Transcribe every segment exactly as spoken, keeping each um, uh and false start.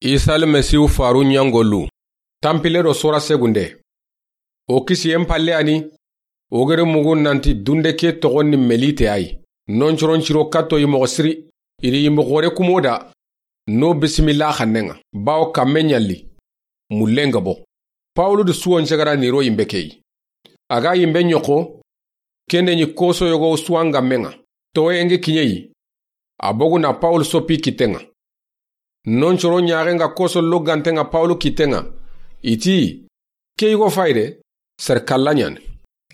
Isa Almasihu faru ɲangolu. Tanpille do sora segunde. O kisiyen palle a ni, o gere mugu nanti dunde ke toxon ni Melite a yi. Noncoron ciro katto yi moxo siri, i di yimbe xoore kumo da, no bisimilla xannen ŋa, bawo kamme ɲalli, mullen ga bo. Pawulu di suwon cegara ni ro yimbe ke yi. A ga yimbe ɲoxo, kende ɲi koso yogo suwan ga men ŋa, towoyen gi kiɲe yi, a bogu na Pawulu soppi kitten ŋa. Noncoro ɲaxen ga koso loganten ŋa Pawulu kitten ŋa, i ti, ke yigo fayde, sere kalla ɲani.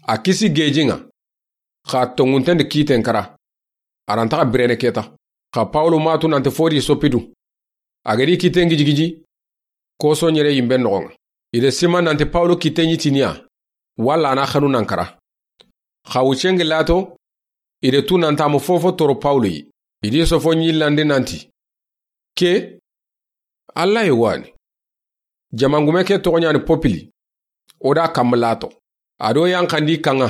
A kisi gejin ŋa, xa tongunten di kitten kara. A ra nta xa birene keta. Xa Pawulu ma tu nanti fo di soppi du. A ga di kitten gijigiji, koso ɲere yimben noxon ŋa. I de sima nanti Pawulu kitten ɲi tiniya, walla a na xanu nan kara. Xa wucen gi lato, i de tu nanta mu fofo toro Pawulu yi. I di sofo ɲillandi nanti, ke, Alla yi wani. Jamangume ke toxo ɲani Popili, o da kamma lato. A do yanxandi kan ŋa,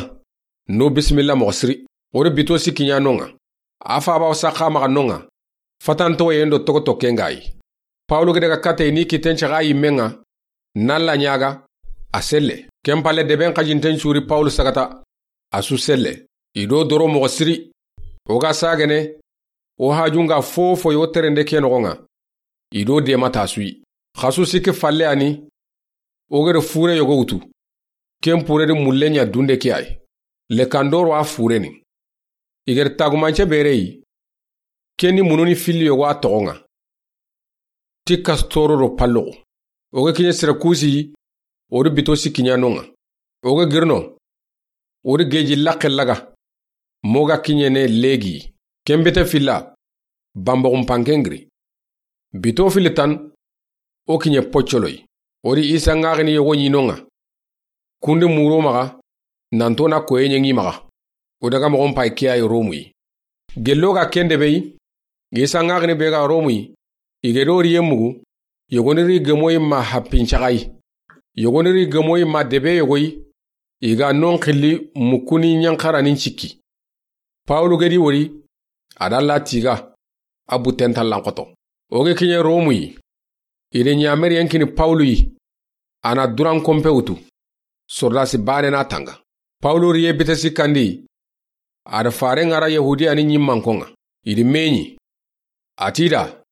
no bisimilla moxo siri. O di bito sikki ɲa non ŋa. A faba o saxa maxa non ŋa. Fatantoyen do togo tokken ga yi. Pawulu gede ga kate ni kitten caxa yimmen ŋa, na Alla ɲaga, a selle. Ken palle deben xajinten curi Pawulu sagata, a su selle. I do doro moxo siri. O ga sagene, o hajun ga fofo yo terende ke noxon ŋa. I do dema ta su yi. Xasu sikki falle a ni, o gere fure yogo wutu. Ken pure di mulle ɲa dunde ke a yi. Lekandoro a fure ni. I gere tagumance bere yi. Ken ni mununi filli yogo a toxon ŋa. Ti kastoro do palloxo. O ga kiɲe Sirakusi, o di bito sikki ɲa non ŋa. O ga girino, o di geji laxe laga. Mo ga kiɲene legi. Ken bite filla, bamboxun panken giri. Bito filli tan, o kiɲe poccoloyi. O di Isa ŋaxini yogo ɲi non ŋa. Kundi muro maxa, nanto na koye ɲeŋi maxa. O daga moxon pay ke a yi Romu yi. Gello ga ken debe yi, Isa ŋaxini be ga Romu yi, i ge do riye mugu, yogoni ri gemoyi ma happin caxa yi. Yogoni ri gemoyi ma debe yogoyi, i ga non xilli mukuni ɲanxaranin cikki. Pawulu gedi wori, a da la tiga, a butten tallan xoto. O ge kiɲe Romu yi, i de ɲameriyen kini Pawulu yi, a na duran konpe wutu, sordasi bane na tanga. Pawulu riye bite sikkandi, a da faren ŋara Yahudiya ni ɲimmankon ŋa, i di meɲi. A ti da,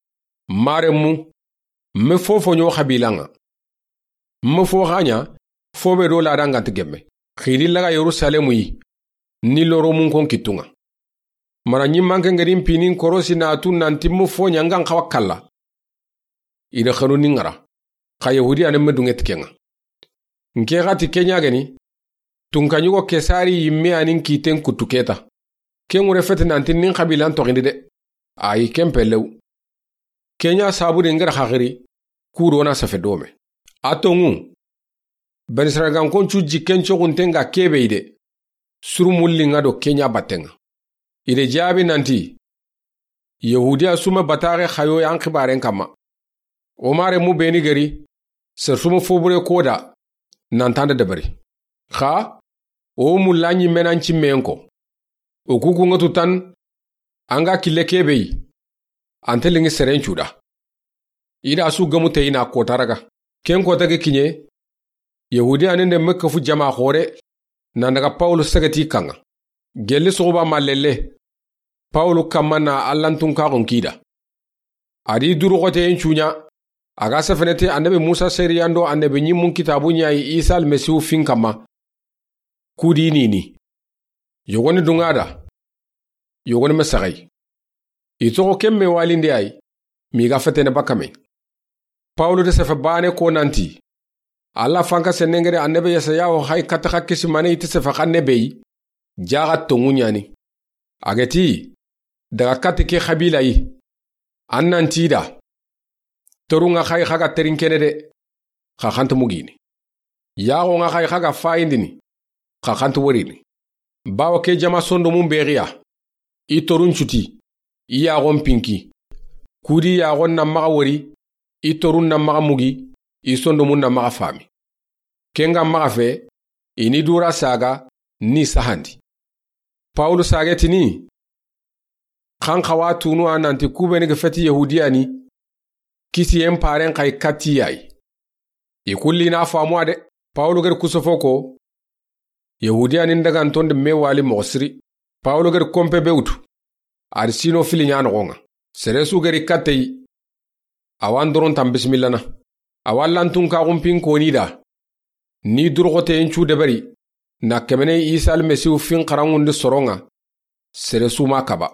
maremu, me fofo ɲo xabilan ŋa. Me fo xa ɲa, fo be do ladan ga nti gemme. Xidi laga Yerusalemu yi, ni loro munkon kittun ŋa. Mana ɲimmanke ngedin pinin korosi na tu nanti me fo ɲa ŋa n xawa kalla. I da xanu ni ŋara. Xa Yahudiya ne me dunŋe ti ken ŋa. Nke xa ti ke ɲa geni, tunka ɲugo Kesari yimme a ni n kitten kuttu keta. Ken ŋure feti nanti ni n xabilan toxindi de. Ayi ken pellew. Ke ɲa sabu de ngara xaxiri, ku do na safe dome. A tonŋu, Benisaragankon cu jikken coxunten ga kebe yi de. Suru mulli ŋa do ke ɲa batten ŋa. I de jaabi nanti, Yahudiya sume bataxe xayo yan xibaren kamma. O maremu beni geri, ser sume fobure koda, nantanda debari. Xa, o mulla ɲimmenan cimmeyen ko. O kuku ŋa tu tan, an ga kille kebe yi, an te lingi seren cuda. I da su gamu te i na kota raga. Ken kota ge kiɲe, Yahudiya ne nde Mekka fu jama xore, nan daga Pawulu segeti kan ŋa. Gelli soxuba ma lelle, Pawulu kamma na Allantun kaxon kida. A di duru xoteyen cuɲa, a ga sefenete annabi Musa seriyan do annabi ɲimmun kitabu ɲa yi Isa Almasihu fin kamma. Kudi nini. Yogoni dunŋa da. Yogoni me saxay. I toxo ken me walinde ay, mi ga fetene bakame. Pawulu de sefe bane ko nanti, Alla fanka senengere annabi Yesaya wo xay kata xa kisi mane iti sefe xanne be yi, jaxa tonŋu ɲani. A geti, daga kati ke xabila yi, an nanti da, torun ŋa xay xa ga terinkene de, xa xanti mugini. Yaxon ŋa xay xa ga fayindini, xa xanti worini. Bawo ke jama sondomun bexiya, i torun cuti, i yaxon pinki. Kudi yaxon na maxa wori, i torun na maxa mugi, i sondomun na maxa fami. Ken ga maxa fe, i ni dura saga, ni sahandi. Pawulu sage tini, xan xawa tunu a nanti kubeni ga feti Yahudiya ni, Kisiyen paren xa i katti ya yi. I kulli na faamu a de. Pawulu gedi kusofo ko, Yahudiya ni n daganton di me wali moxo siri. Pawulu gedi konpe be wutu. A di sino fili ɲa noxon ŋa. Sere su gedi katte yi. Awa n doron tan bisimillana. Awa lantun kaxunpin koni da. Ni duroxoteyen cu deberi, na kemene Isa Almasihu fin xaranŋundi soron ŋa, sere su ma kaba.